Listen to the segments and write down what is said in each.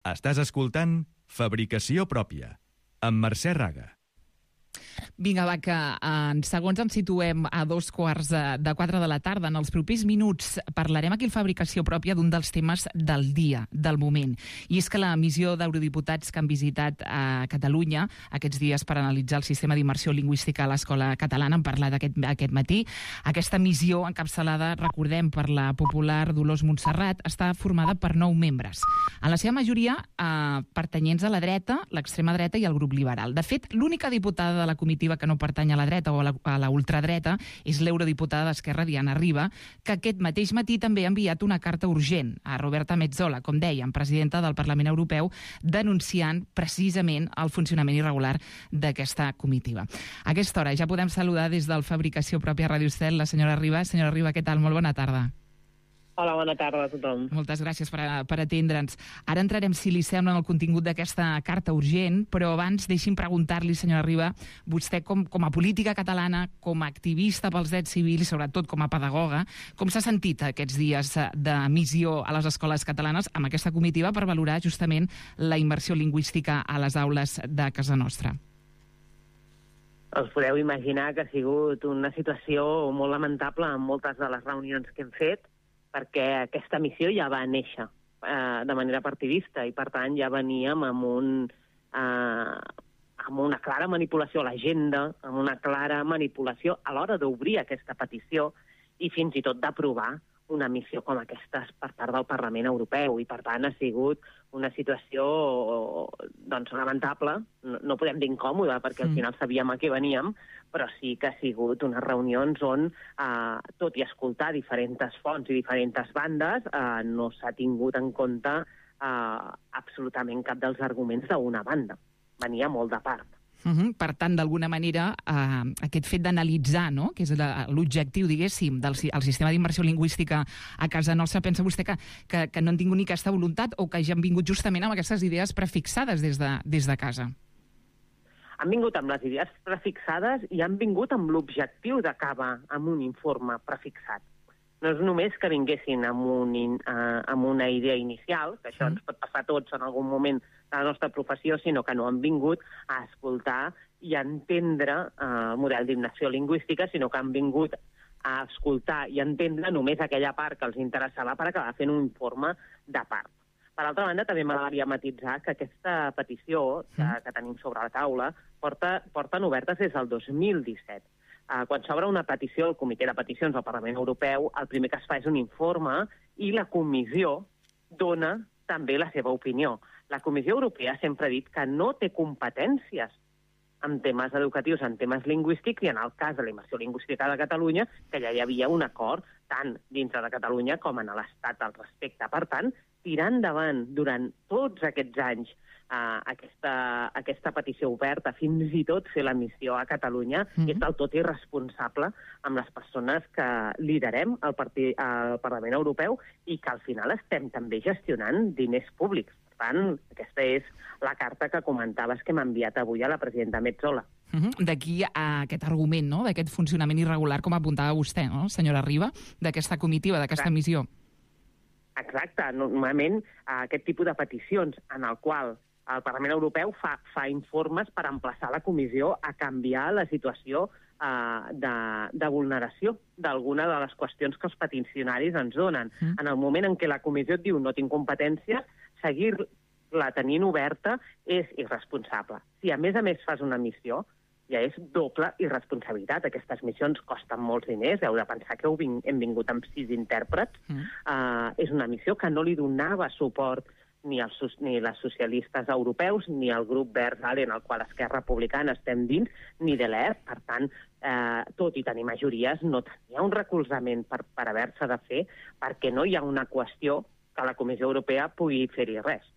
Estàs escoltant Fabricació Pròpia, amb Mercè Raga. Vinga, va, que en segons ens situem a 3:45 de la tarda. En els propers minuts parlarem aquí a Fabricació Pròpia d'un dels temes del dia, del moment. I és que la missió d'eurodiputats que han visitat a Catalunya aquests dies per analitzar el sistema d'immersió lingüística a l'escola catalana, en parlar aquest matí. Aquesta missió, encapçalada, recordem, per la popular Dolors Montserrat, està formada per 9 membres. En la seva majoria pertanyents a la dreta, l'extrema dreta i el grup liberal. De fet, l'única diputada de la comitiva que no pertany a la dreta o a la ultradreta és l'eurodiputada d'Esquerra, Diana Riba, que aquest mateix matí també ha enviat una carta urgent a Roberta Metsola, com dèiem, presidenta del Parlament Europeu, denunciant precisament el funcionament irregular d'aquesta comitiva. A aquesta hora ja podem saludar des del Fabricació Pròpia Ràdio Estel la senyora Riba. Senyora Riba, què tal? Molt bona tarda. Hola, bona tarda a tothom. Moltes gràcies per atendre'ns. Ara entrarem, si li sembla, en el contingut d'aquesta carta urgent, però abans deixi'm preguntar-li, senyora Riba, vostè com a política catalana, com a activista pels drets civils i sobretot com a pedagoga, com s'ha sentit aquests dies de missió a les escoles catalanes amb aquesta comitiva per valorar justament la immersió lingüística a les aules de casa nostra? Us podeu imaginar que ha sigut una situació molt lamentable en moltes de les reunions que hem fet, perquè aquesta missió ja va néixer de manera partidista i, per tant, ja veníem amb una clara manipulació a l'agenda, amb una clara manipulació a l'hora d'obrir aquesta petició i fins i tot d'aprovar una missió com aquesta per part del Parlament Europeu. I, per tant, ha sigut una situació lamentable. No podem dir incòmoda, perquè al final sabíem a què veníem, però sí que ha sigut unes reunions on, tot i escoltar diferents fonts i diferents bandes, no s'ha tingut en compte absolutament cap dels arguments d'una banda. Venia molt de part. Per tant, d'alguna manera, aquest fet d'analitzar, no?, que és l'objectiu, diguéssim, del sistema d'immersió lingüística a casa nostra, pensa vostè que no han tingut ni aquesta voluntat o que ja han vingut justament amb aquestes idees prefixades des de casa? Han vingut amb les idees prefixades i han vingut amb l'objectiu d'acabar amb un informe prefixat. No és només que vinguessin amb una idea inicial, que això ens pot passar a tots en algun moment de la nostra professió, sinó que no han vingut a escoltar i a entendre el model d'immersió lingüística, sinó que han vingut a escoltar i entendre només aquella part que els interessava per acabar fent un informe de part. Per altra banda, també m'agradaria matitzar que aquesta petició que tenim sobre la taula porten obertes des del 2017. Quan s'obre una petició al Comitè de Peticions del Parlament Europeu, el primer que es fa és un informe i la Comissió dona també la seva opinió. La Comissió Europea sempre ha dit que no té competències en temes educatius, en temes lingüístics, i en el cas de la immersió lingüística de Catalunya, que ja hi havia un acord tant dintre de Catalunya com en l'Estat al respecte. Per tant, tirar endavant durant tots aquests anys aquesta petició oberta, fins i tot fer la missió a Catalunya, és del tot irresponsable amb les persones que liderem el Parlament Europeu i que al final estem també gestionant diners públics. Per tant, aquesta és la carta que comentaves que m'ha enviat avui a la presidenta Metsola. D'aquí a aquest argument, no?, d'aquest funcionament irregular, com apuntava vostè, no?, senyora Riba, d'aquesta comitiva, d'aquesta missió. Exacte. Normalment aquest tipus de peticions en el qual el Parlament Europeu fa informes per emplaçar la Comissió a canviar la situació de vulneració d'alguna de les qüestions que els peticionaris ens donen. En el moment en què la Comissió et diu no tinc competència, seguir-la tenint oberta és irresponsable. Si a més fas una missió, ja és doble irresponsabilitat. Aquestes missions costen molts diners, heu de pensar que hem vingut amb 6 intèrprets. És una missió que no li donava suport ni les socialistes europeus, ni el grup Verds, en el qual Esquerra Republicana estem dins, ni de l'ER. Per tant, tot i tenir majories, no tenia un recolzament per haver-se de fer, perquè no hi ha una qüestió que la Comissió Europea pugui fer-hi res.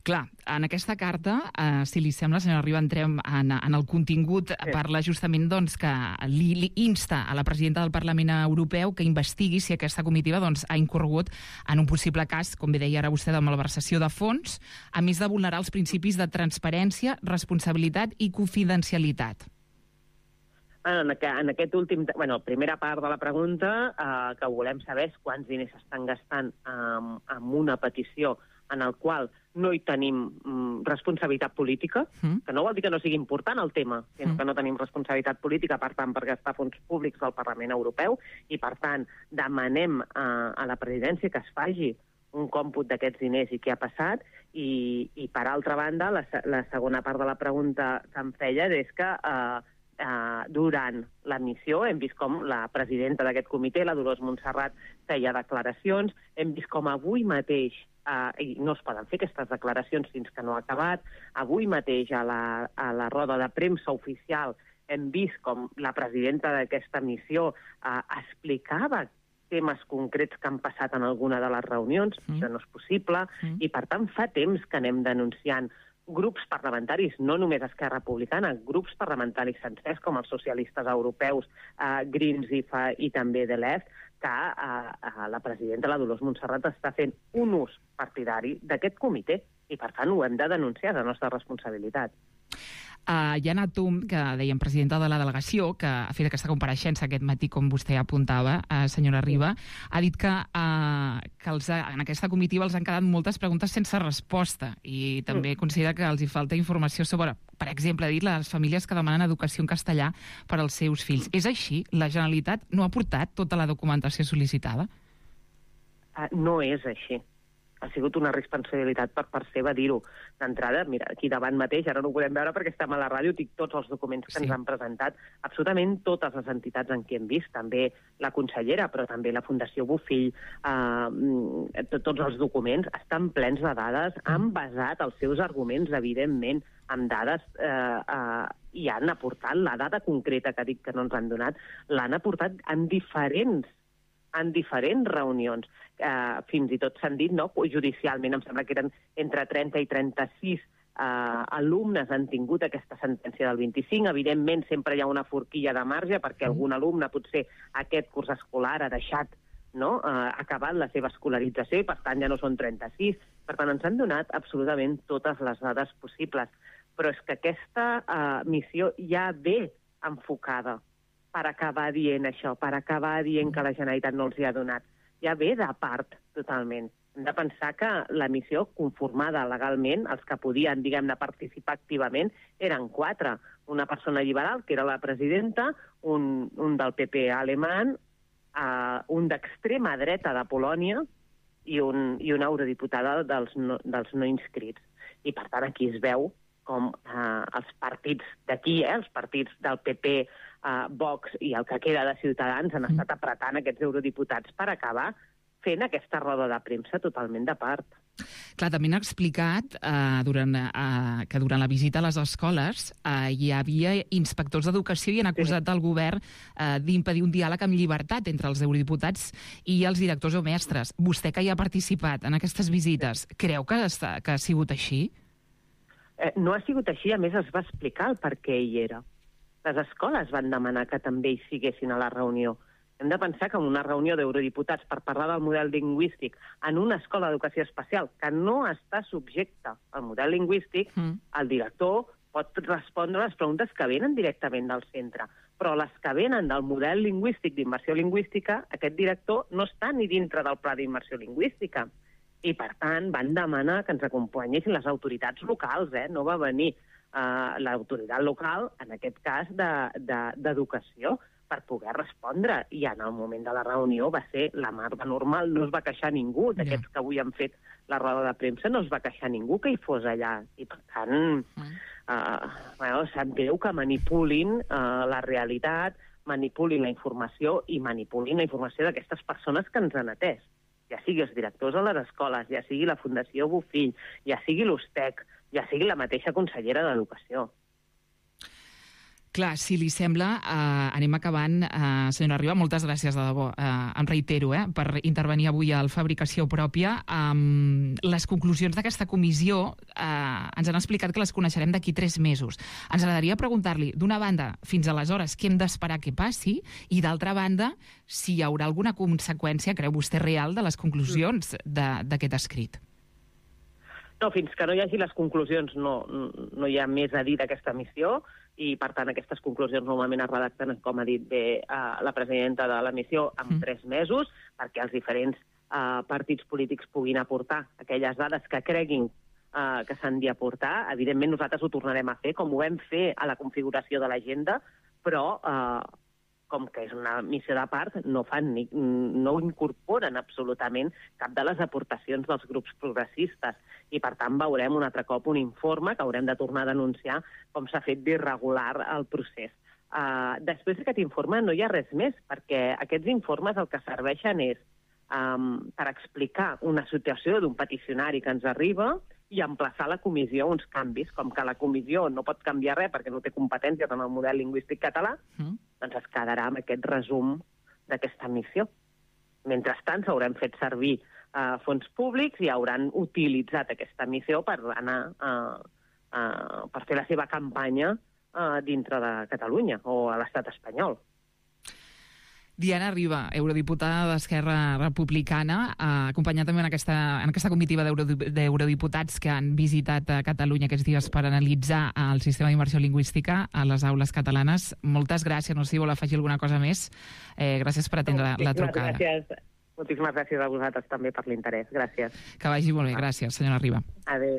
Clar, en aquesta carta, si li sembla, senyora Riba, entrem en el contingut. Parla justament que li insta a la presidenta del Parlament Europeu que investigui si aquesta comitiva ha incorregut en un possible cas, com bé deia ara vostè, de malversació de fons, a més de vulnerar els principis de transparència, responsabilitat i confidencialitat. En aquest últim... primera part de la pregunta, que volem saber és quants diners s'estan gastant en una petició en el qual no hi tenim responsabilitat política, que no vol dir que no sigui important el tema, sinó que no tenim responsabilitat política, per tant, per gastar fons públics del Parlament Europeu, i per tant demanem a la presidència que es faci un còmput d'aquests diners i què ha passat, i per altra banda, la segona part de la pregunta que em feia és que durant la missió hem vist com la presidenta d'aquest comitè, la Dolors Montserrat, feia declaracions, hem vist com avui mateix, i no es poden fer aquestes declaracions fins que no ha acabat, avui mateix a la roda de premsa oficial hem vist com la presidenta d'aquesta missió explicava temes concrets que han passat en alguna de les reunions, això no és possible, i per tant fa temps que anem denunciant grups parlamentaris, no només Esquerra Republicana, grups parlamentaris sencers com els socialistes europeus, Greens i també de l'Est, que la presidenta, la Dolors Montserrat, està fent un ús partidari d'aquest comitè i, per tant, ho hem de denunciar, és la nostra responsabilitat. Jana Tum, que dèiem presidenta de la delegació, que ha fet aquesta compareixença aquest matí, com vostè apuntava, senyora Riba, ha dit que en aquesta comitiva els han quedat moltes preguntes sense resposta i també considera que els hi falta informació sobre, per exemple, ha dit les famílies que demanen educació en castellà per als seus fills. És així? La Generalitat no ha portat tota la documentació sol·licitada? No és així. Ha sigut una responsabilitat per part seva dir-ho. D'entrada, mira, aquí davant mateix, ara no ho podem veure perquè estem a la ràdio, tinc tots els documents que ens han presentat, absolutament totes les entitats en què hem vist, també la consellera, però també la Fundació Bofill, tots els documents estan plens de dades, han basat els seus arguments, evidentment, amb dades i han aportat la dada concreta que ha dit que no ens han donat, l'han aportat en diferents reunions. Fins i tot s'han dit, no, judicialment, em sembla que eren entre 30 i 36 alumnes han tingut aquesta sentència del 25. Evidentment, sempre hi ha una forquilla de marge perquè algun alumne, potser aquest curs escolar, ha deixat, no, ha acabat la seva escolarització i, per tant, ja no són 36. Per tant, ens han donat absolutament totes les dades possibles. Però és que aquesta missió ja ve enfocada per acabar dient això, per acabar dient que la Generalitat no els hi ha donat. Ja ve de part, totalment. Hem de pensar que la missió conformada legalment, els que podien, diguem-ne, participar activament, eren 4. Una persona liberal, que era la presidenta, un del PP alemany, un d'extrema dreta de Polònia i una eurodiputada dels no inscrits. I, per tant, aquí es veu com els partits d'aquí, els partits del PP, Vox i el que queda de Ciutadans han estat apretant aquests eurodiputats per acabar fent aquesta roda de premsa totalment de part. Clar, també han explicat que durant la visita a les escoles hi havia inspectors d'educació i han acusat el govern d'impedir un diàleg amb llibertat entre els eurodiputats i els directors o mestres. Vostè, que hi ha participat en aquestes visites, creu que ha sigut així? No ha sigut així, a més es va explicar el per què hi era. Les escoles van demanar que també hi siguessin a la reunió. Hem de pensar que en una reunió d'eurodiputats per parlar del model lingüístic en una escola d'educació especial que no està subjecta al model lingüístic, el director pot respondre les preguntes que venen directament del centre. Però les que venen del model lingüístic d'immersió lingüística, aquest director no està ni dintre del pla d'immersió lingüística. I, per tant, van demanar que ens acompanyessin les autoritats locals, no va venir l'autoritat local, en aquest cas d'educació, per poder respondre. I en el moment de la reunió va ser la mar de normal, no es va queixar ningú. D'aquests que avui han fet la roda de premsa no es va queixar ningú que hi fos allà. I, per tant, sap greu que manipulin la realitat, manipulin la informació i manipulin la informació d'aquestes persones que ens han atès. Ja sigui els directors a les escoles, ja sigui la Fundació Bofill, ja sigui l'USTEC, ja sigui la mateixa consellera d'Educació. Clar, si li sembla, anem acabant. Senyora Riba, moltes gràcies, de debò. Em reitero, per intervenir avui al Fabricació Pròpia. Les conclusions d'aquesta comissió ens han explicat que les coneixerem d'aquí 3 mesos. Ens agradaria preguntar-li, d'una banda, fins aleshores, què hem d'esperar que passi, i d'altra banda, si hi haurà alguna conseqüència, creu vostè, real de les conclusions d'aquest escrit. No, fins que no hi hagi les conclusions no hi ha més a dir d'aquesta missió i, per tant, aquestes conclusions normalment es redacten, com ha dit bé la presidenta de la missió, en 3 mesos, perquè els diferents partits polítics puguin aportar aquelles dades que creguin que s'han d'aportar. Evidentment, nosaltres ho tornarem a fer, com ho vam fer a la configuració de l'agenda, però com que és una missió de part, no incorporen absolutament cap de les aportacions dels grups progressistes. I, per tant, veurem un altre cop un informe que haurem de tornar a denunciar com s'ha fet d'irregular el procés. Després d'aquest informe no hi ha res més, perquè aquests informes el que serveixen és per explicar una situació d'un peticionari que ens arriba i emplaçar la comissió a uns canvis, com que la comissió no pot canviar res perquè no té competències en el model lingüístic català, doncs es quedarà amb aquest resum d'aquesta missió. Mentrestant, s'hauran fet servir fons públics i hauran utilitzat aquesta missió per anar per fer la seva campanya dintre de Catalunya o a l'estat espanyol. Diana Riba, eurodiputada d'Esquerra Republicana, acompanyada també en aquesta comitiva d'eurodiputats que han visitat Catalunya aquests dies per analitzar el sistema d'immersió lingüística a les aules catalanes. Moltes gràcies. No sé si vol afegir alguna cosa més. Gràcies per atendre la trucada. Moltíssimes gràcies a vosaltres també per l'interès. Gràcies. Que vagi molt bé. Gràcies, senyora Riba. Adéu.